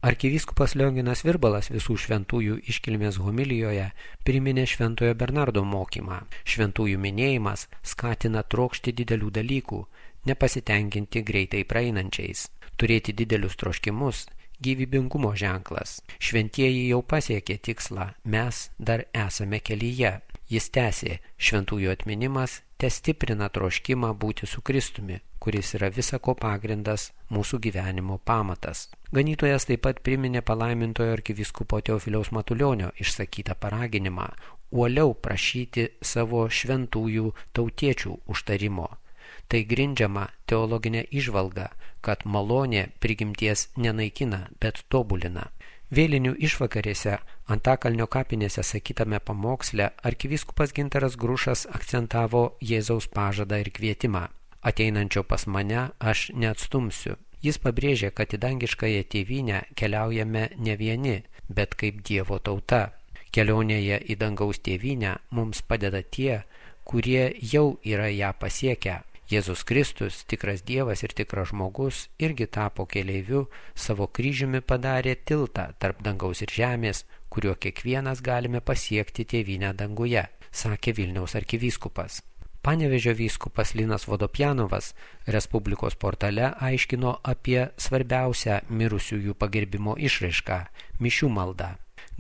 Arkivyskupas Lionginas Virbalas visų šventųjų iškilmės homilijoje priminė Šventojo Bernardo mokymą. Šventųjų minėjimas skatina trokšti didelių dalykų, nepasitenkinti greitai praeinančiais, turėti didelius troškimus, gyvybingumo ženklas. Šventieji jau pasiekė tikslą, mes dar esame kelyje. Jis tęsė, šventųjų atminimas testiprina troškimą būti su Kristumi, kuris yra visako pagrindas, mūsų gyvenimo pamatas. Ganytojas taip pat priminė palaimintojo arkivyskupo Teofiliaus Matulionio išsakytą paraginimą uoliau prašyti savo šventųjų tautiečių užtarimo. Tai grindžiama teologinė įžvalga, kad malonė prigimties nenaikina, bet tobulina. Vėlinių išvakarėse Antakalnio kapinėse sakytame pamoksle arkivyskupas Gintaras Grušas akcentavo Jėzaus pažadą ir kvietimą. Ateinančio pas mane aš neatstumsiu. Jis pabrėžė, kad į dangiškąją tėvynę keliaujame ne vieni, bet kaip Dievo tauta. Kelionėje į dangaus tėvynę mums padeda tie, kurie jau yra ją pasiekę. Jėzus Kristus, tikras Dievas ir tikras žmogus, irgi tapo keleiviu, savo kryžiumi padarė tiltą tarp dangaus ir žemės, kuriuo kiekvienas galime pasiekti tėvynę danguje, sakė Vilniaus arkivyskupas. Panevėžio vyskupas Linas Vodopjanovas Respublikos portale aiškino apie svarbiausią mirusiųjų pagerbimo išraišką – mišių maldą.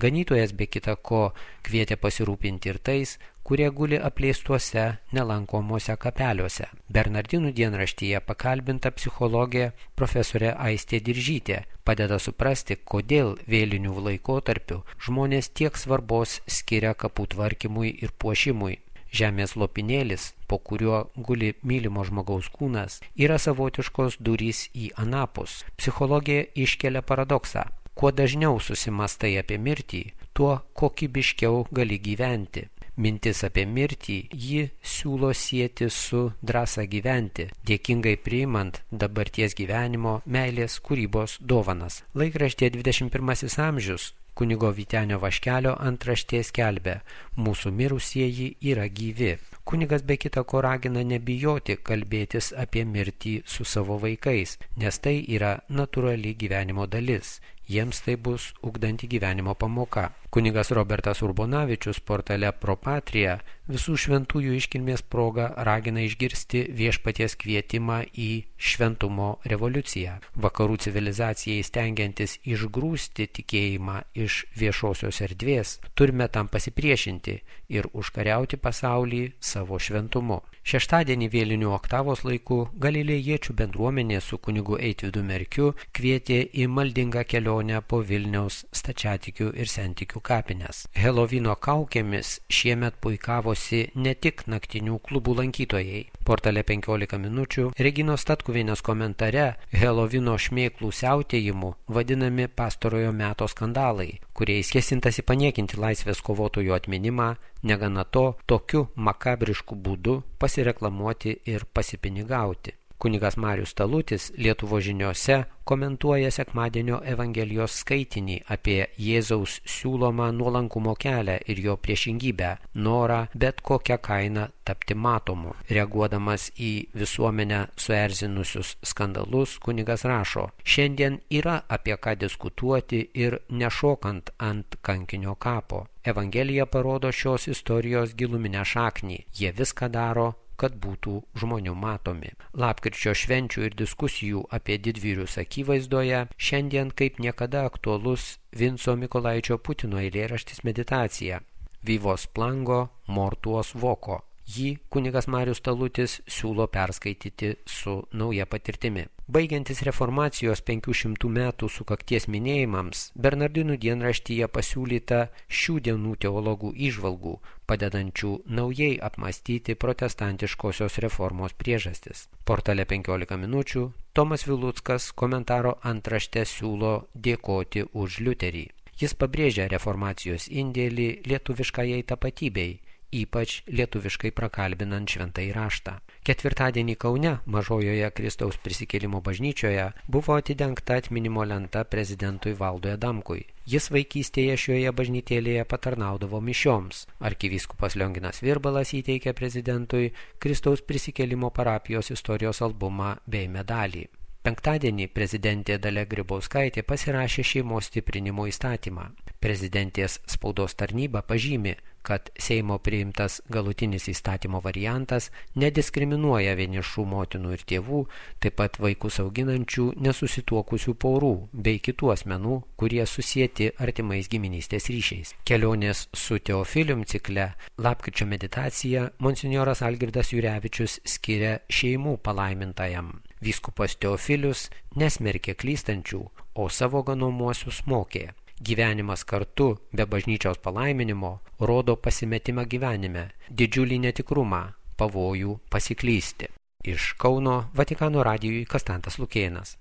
Ganytojas be kita ko kvietė pasirūpinti ir tais, kurie guli apleistuose, nelankomuose kapeliuose. Bernardinų dienraštyje pakalbinta psichologė profesorė Aistė Diržytė padeda suprasti, kodėl vėlinių laikotarpiu žmonės tiek svarbos skiria kapų tvarkymui ir puošimui. Žemės lopinėlis, po kuriuo guli mylimo žmogaus kūnas, yra savotiškos durys į anapus. Psichologija iškelia paradoksą. Kuo dažniau susimastai apie mirtį, tuo kokybiškiau gali gyventi. Mintis apie mirtį ji siūlo sieti su drąsa gyventi, dėkingai priimant dabarties gyvenimo, meilės, kūrybos dovanas. Laikraštyje 21 amžius kunigo Vytenio Vaškelio antraštė skelbia: mūsų mirusieji yra gyvi. Kunigas be kita ko ragina nebijoti kalbėtis apie mirtį su savo vaikais, nes tai yra natūrali gyvenimo dalis. Jiems tai bus ugdanti gyvenimo pamoka. Kunigas Robertas Urbonavičius portale Pro Patria visų šventųjų iškilmės proga ragina išgirsti viešpaties kvietimą į šventumo revoliuciją. Vakarų civilizacijai stengiantis išgrūsti tikėjimą iš viešosios erdvės, turime tam pasipriešinti ir užkariauti pasaulį savo šventumu. Šeštadienį vėlinių oktavos laiku galilėjiečių bendruomenė su kunigu Eitvydu Merkiu kvietė į maldingą kelionę po Vilniaus stačiatikių ir sentikių kapines. Helovino kaukėmis šiemet puikavosi ne tik naktinių klubų lankytojai. Portale 15 minučių Reginos Statkuvienės komentare Helovino šmėklų siautėjimu vadinami pastarojo meto skandalai, kuriais kėsintasi paniekinti laisvės kovotojų atminimą, negana to, tokiu makabrišku būdu pasireklamuoti ir pasipinigauti. Kunigas Marius Talutis Lietuvos žiniose komentuoja sekmadienio Evangelijos skaitinį apie Jėzaus siūlomą nuolankumo kelią ir jo priešingybę – norą bet kokią kainą tapti matomu. Reaguodamas į visuomenę suerzinusius skandalus, kunigas rašo: šiandien yra apie ką diskutuoti ir nešokant ant kankinio kapo. Evangelija parodo šios istorijos giluminę šaknį. Jie viską daro, kad būtų žmonių matomi. Lapkričio švenčių ir diskusijų apie didvyrius akivaizdoje šiandien kaip niekada aktualus Vinco Mykolaičio Putino eilėraštis Meditacija. Vivos plango mortuos voko. Jį kunigas Marius Talutis siūlo perskaityti su nauja patirtimi. Baigiantis reformacijos 500 metų sukakties minėjimams, Bernardinų dienraštyje pasiūlyta šių dienų teologų įžvalgų, padedančių naujai apmąstyti protestantiškosios reformos priežastis. Portale 15 minučių Tomas Viluckas komentaro antraštę siūlo dėkoti už Liuterį. Jis pabrėžia reformacijos indėlį lietuviškajai tapatybei, ypač lietuviškai prakalbinant šventąjį raštą. Ketvirtadienį Kaune, Mažojoje Kristaus prisikėlimo bažnyčioje, buvo atidengta atminimo lenta prezidentui Valdui Adamkui. Jis vaikystėje šioje bažnytėlėje patarnaudavo mišioms. Arkivyskupas Lionginas Virbalas įteikė prezidentui Kristaus prisikėlimo parapijos istorijos albumą bei medalį. Penktadienį prezidentė Dalia Grybauskaitė pasirašė šeimos stiprinimo įstatymą. Prezidentės spaudos tarnyba pažymi, kad Seimo priimtas galutinis įstatymo variantas nediskriminuoja vienišų motinų ir tėvų, taip pat vaikus auginančių nesusituokusių porų bei kitų asmenų, kurie susieti artimais giminystės ryšiais. Kelionės su Teofilium cikle lapkričio meditaciją monsinjoras Algirdas Jurevičius skiria šeimų palaimintajam. Vyskupas Teofilius nesmerkė klystančių, o savo ganomuosius mokė. Gyvenimas kartu be bažnyčios palaiminimo rodo pasimetimą gyvenime, didžiulį netikrumą, pavojų pasiklysti. Iš Kauno Vatikano radijui Konstantas Lukėnas.